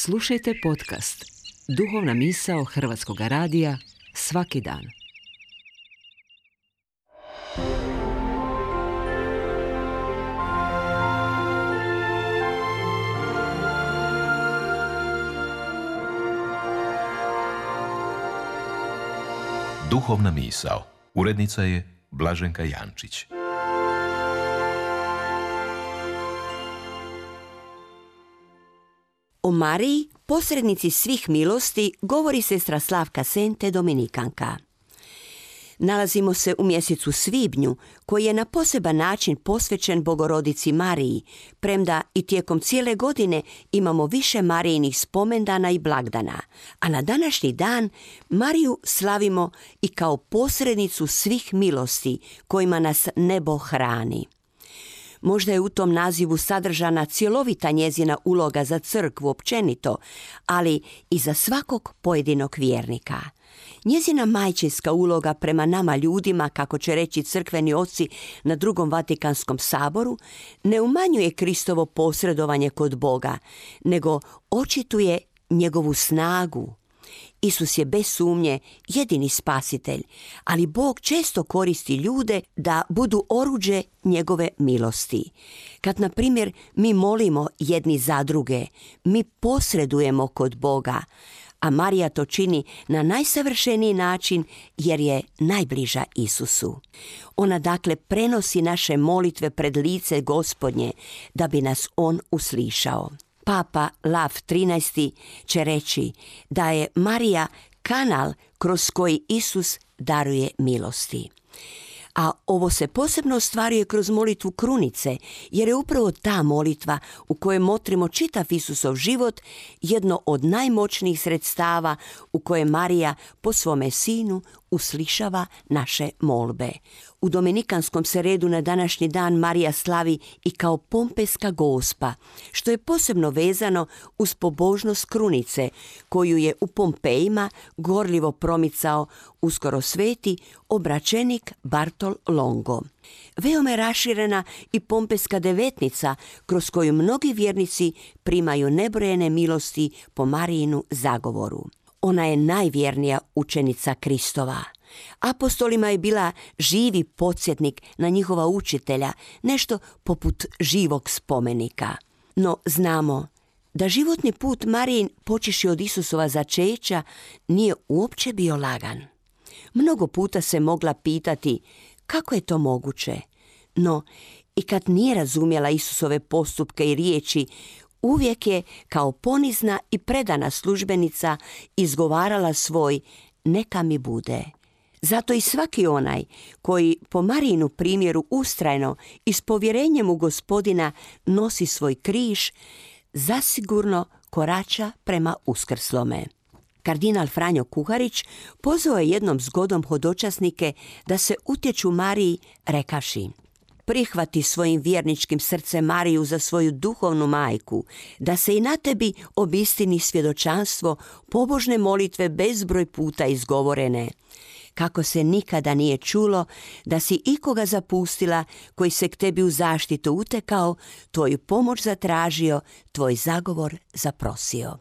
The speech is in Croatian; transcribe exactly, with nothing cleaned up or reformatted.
Slušajte podcast Duhovna misao Hrvatskog radija svaki dan. Duhovna misao. Urednica je Blaženka Jančić. O Mariji, posrednici svih milosti, govori sestra Slavka Sente, dominikanka. Nalazimo se u mjesecu svibnju, koji je na poseban način posvećen Bogorodici Mariji, premda i tijekom cijele godine imamo više Marijinih spomendana i blagdana, a na današnji dan Mariju slavimo i kao posrednicu svih milosti kojima nas nebo hrani. Možda je u tom nazivu sadržana cjelovita njezina uloga za crkvu općenito, ali i za svakog pojedinog vjernika. Njezina majčinska uloga prema nama ljudima, kako će reći crkveni oci na drugom Vatikanskom saboru, ne umanjuje Kristovo posredovanje kod Boga, nego očituje njegovu snagu. Isus je bez sumnje jedini spasitelj, ali Bog često koristi ljude da budu oruđe njegove milosti. Kad, na primjer, mi molimo jedni za druge, mi posredujemo kod Boga, a Marija to čini na najsavršeniji način jer je najbliža Isusu. Ona dakle prenosi naše molitve pred lice Gospodnje da bi nas On uslišao. Papa Lav trinaesti će reći da je Marija kanal kroz koji Isus daruje milosti. A ovo se posebno ostvaruje kroz molitvu krunice, jer je upravo ta molitva u kojoj motrimo čitav Isusov život jedno od najmoćnijih sredstava u koje Marija po svome sinu uslišava naše molbe. U dominikanskom se redu na današnji dan Marija slavi i kao Pompejska Gospa, što je posebno vezano uz pobožnost krunice, koju je u Pompejima gorljivo promicao uskoro sveti obraćenik Bartol Longo. Veoma je raširena i Pompejska devetnica, kroz koju mnogi vjernici primaju nebrojene milosti po Marijinu zagovoru. Ona je najvjernija učenica Kristova. Apostolima je bila živi podsjetnik na njihova učitelja, nešto poput živog spomenika. No znamo da životni put Marijin, počeši od Isusova začeća, nije uopće bio lagan. Mnogo puta se mogla pitati kako je to moguće, no i kad nije razumjela Isusove postupke i riječi, uvijek je kao ponizna i predana službenica izgovarala svoj neka mi bude. Zato i svaki onaj koji po Marijinu primjeru ustrajno i s povjerenjem u Gospodina nosi svoj križ, zasigurno korača prema uskrslome. Kardinal Franjo Kuharić pozvao je jednom zgodom hodočasnike da se utječu Mariji rekavši: prihvati svojim vjerničkim srcem Mariju za svoju duhovnu majku, da se i na tebi obistini svjedočanstvo pobožne molitve bezbroj puta izgovorene. Kako se nikada nije čulo da si ikoga zapustila koji se k tebi u zaštitu utekao, tvoju pomoć zatražio, tvoj zagovor zaprosio.